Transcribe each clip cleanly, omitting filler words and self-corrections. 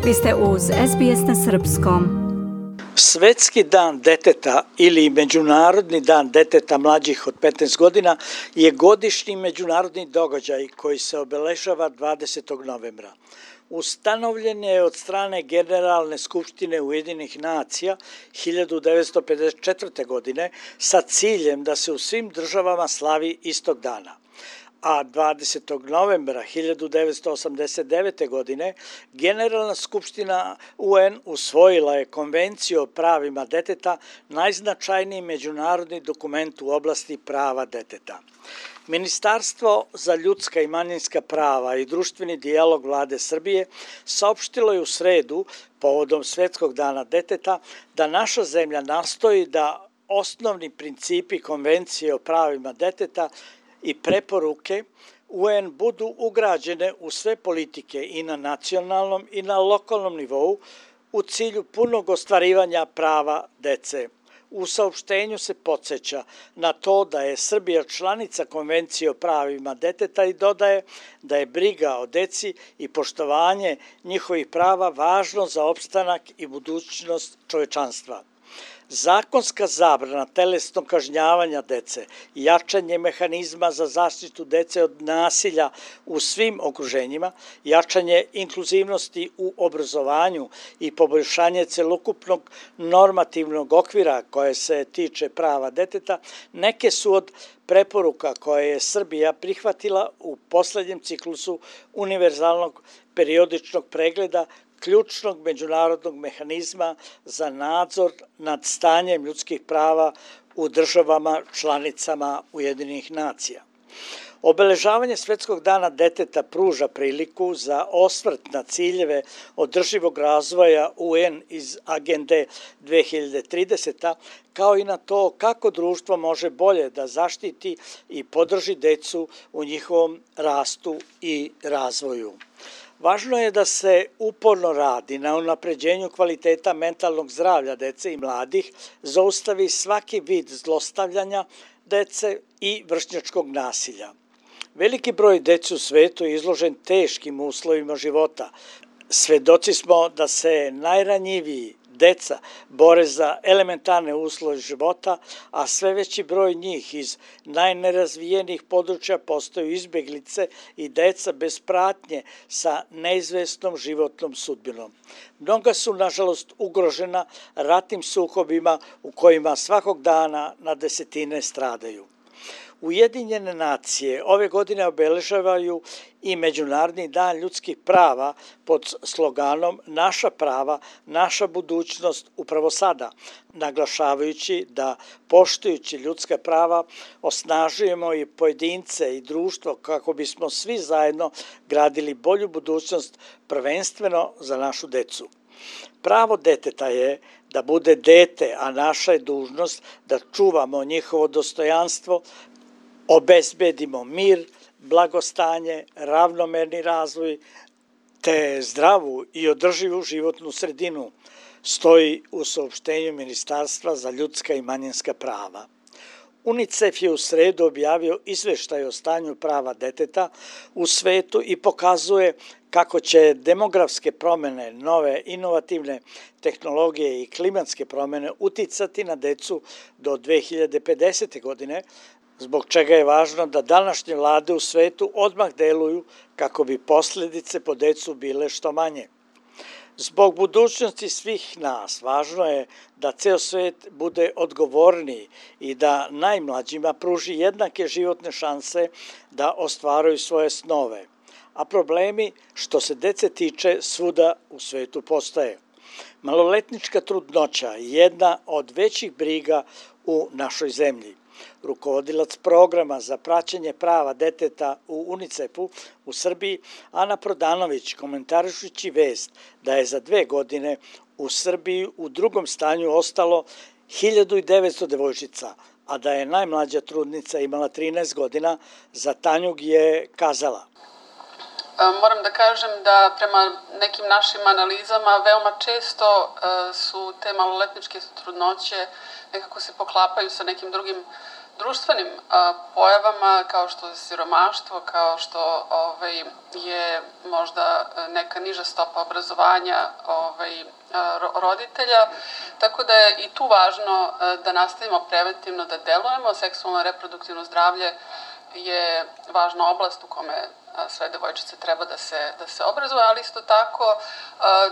Vi ste uz SBS na srpskom. Svetski dan deteta ili Međunarodni dan deteta mlađih od 15 godina je godišnji međunarodni događaj koji se obeležava 20. novembra. Ustanovljen je od strane Generalne skupštine Ujedinjenih nacija 1954. godine sa ciljem da se u svim državama slavi istog dana. A 20. novembra 1989. godine Generalna skupština UN usvojila je Konvenciju o pravima deteta, najznačajniji međunarodni dokument u oblasti prava deteta. Ministarstvo za ljudska i manjinska prava i društveni dijalog Vlade Srbije saopštilo je u sredu, povodom Svetskog dana deteta, da naša zemlja nastoji da osnovni principi Konvencije o pravima deteta i preporuke UN budu ugrađene u sve politike i na nacionalnom i na lokalnom nivou u cilju punog ostvarivanja prava dece. U saopštenju se podsjeća na to da je Srbija članica Konvencije o pravima deteta i dodaje da je briga o deci i poštovanje njihovih prava važno za opstanak i budućnost čovečanstva. Zakonska zabrana telesnog kažnjavanja dece, jačanje mehanizma za zaštitu dece od nasilja u svim okruženjima, jačanje inkluzivnosti u obrazovanju i poboljšanje celokupnog normativnog okvira koje se tiče prava deteta, neke su od preporuka koje je Srbija prihvatila u poslednjem ciklusu univerzalnog periodičnog pregleda ključnog međunarodnog mehanizma za nadzor nad stanjem ljudskih prava u državama članicama Ujedinjenih nacija. Obeležavanje Svetskog dana deteta pruža priliku za osvrt na ciljeve održivog razvoja UN iz Agende 2030, kao i na to kako društvo može bolje da zaštiti i podrži decu u njihovom rastu i razvoju. Važno je da se uporno radi na unapređenju kvaliteta mentalnog zdravlja dece i mladih, zaustavi svaki vid zlostavljanja dece i vršnjačkog nasilja. Veliki broj dece u svetu je izložen teškim uslovima života. Svedoci smo da se najranjiviji deca bore za elementarne uslove života, a sve veći broj njih iz najnerazvijenijih područja postaju izbeglice i deca bez pratnje sa neizvesnom životnom sudbinom. Mnoga su, nažalost, ugrožena ratnim sukobima u kojima svakog dana na desetine stradaju. Ujedinjene nacije ove godine obeležavaju i Međunarodni dan ljudskih prava pod sloganom Naša prava, naša budućnost upravo sada, naglašavajući da poštujući ljudska prava osnažujemo i pojedince i društvo kako bismo svi zajedno gradili bolju budućnost prvenstveno za našu decu. Pravo deteta je da bude dete, a naša je dužnost da čuvamo njihovo dostojanstvo, obezbedimo mir, blagostanje, ravnomerni razvoj te zdravu i održivu životnu sredinu, stoji u saopštenju Ministarstva za ljudska i manjinska prava. UNICEF je u sredu objavio izveštaj o stanju prava deteta u svetu i pokazuje kako će demografske promene, nove inovativne tehnologije i klimatske promene uticati na decu do 2050. godine, zbog čega je važno da današnje vlade u svetu odmah deluju kako bi posledice po decu bile što manje. Zbog budućnosti svih nas važno je da ceo svet bude odgovorniji i da najmlađima pruži jednake životne šanse da ostvaruju svoje snove, a problemi što se dece tiče svuda u svetu postoje. Maloletnička trudnoća je jedna od većih briga u našoj zemlji. Rukovodilac programa za praćenje prava deteta u UNICEF-u u Srbiji, Ana Prodanović, komentarišući vest da je za 2 godine u Srbiji u drugom stanju ostalo 1900 devojčica, a da je najmlađa trudnica imala 13 godina, za Tanjug je kazala: Moram da kažem da prema nekim našim analizama veoma često su te maloletničke trudnoće nekako se poklapaju sa nekim drugim društvenim pojavama kao što je siromaštvo, kao što je možda neka niža stopa obrazovanja roditelja, tako da je i tu važno da nastavimo preventivno da delujemo. Seksualno reproduktivno zdravlje je važna oblast u kome sve devojčice treba da se obrazuju, ali isto tako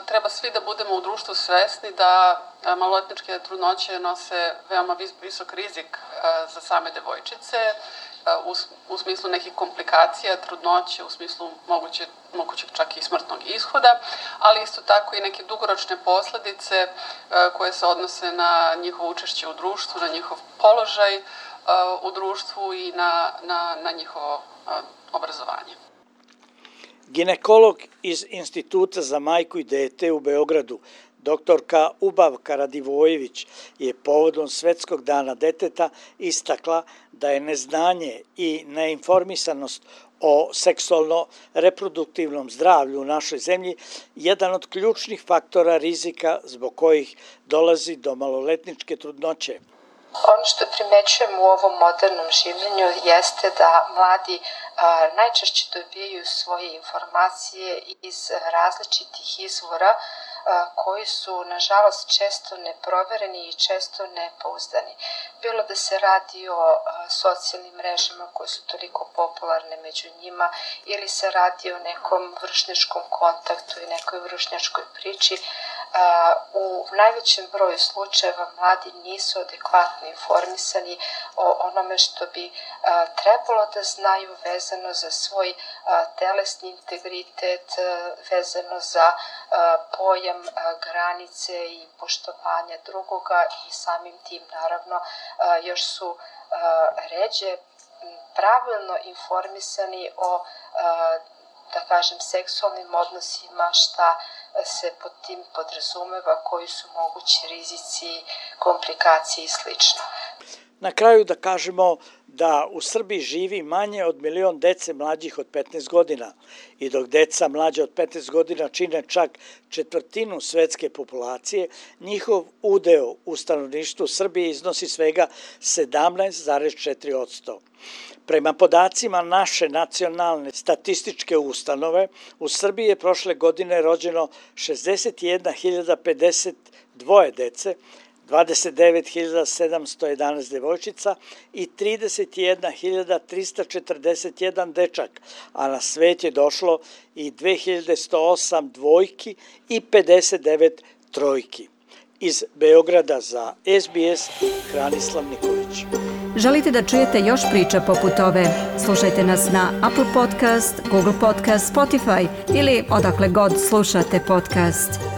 treba svi da budemo u društvu svesni da maloletničke trudnoće nose veoma visok rizik za same devojčice u smislu nekih komplikacija trudnoće, u smislu mogućeg čak i smrtnog ishoda, ali isto tako i neke dugoročne posledice koje se odnose na njihovo učešće u društvu, na njihov položaj u društvu i na njihovo obrazovanje. Ginekolog iz Instituta za majku i dete u Beogradu, doktorka Ubavka Radivojević, je povodom Svetskog dana deteta istakla da je neznanje i neinformisanost o seksualno-reproduktivnom zdravlju u našoj zemlji jedan od ključnih faktora rizika zbog kojih dolazi do maloletničke trudnoće. Ono što primećujem u ovom modernom življenju jeste da mladi najčešće dobijaju svoje informacije iz različitih izvora koji su, nažalost, često neprovereni i često nepouzdani. Bilo da se radi o socijalnim mrežama koje su toliko popularne među njima ili se radi o nekom vršnjačkom kontaktu i nekoj vršnjačkoj priči, u najvećem broju slučajeva mladi nisu adekvatno informisani o onome što bi trebalo da znaju vezano za svoj telesni integritet, vezano za pojam granice i poštovanja drugoga i samim tim naravno još su ređe pravilno informisani o da kažem seksualnim odnosima, šta se pod tim podrazumeva, koji su mogući rizici, komplikacije i sl. Na kraju da kažemo da u Srbiji živi manje od 1 milion dece mlađih od 15 godina i dok deca mlađe od 15 godina čine čak 1/4 svetske populacije, njihov udeo u stanovništvu Srbije iznosi svega 17,4%. Prema podacima naše nacionalne statističke ustanove, u Srbiji je prošle godine rođeno 61.052 dece, 29.711 devojčica i 31.341 dečak, a na svet je došlo i 2.108 dvojki i 59 trojki. Iz Beograda za SBS, Hranislav Nikolić. Želite da čujete još priča poput ove? Slušajte nas na Apple Podcast, Google Podcast, Spotify ili odakle god slušate podcast.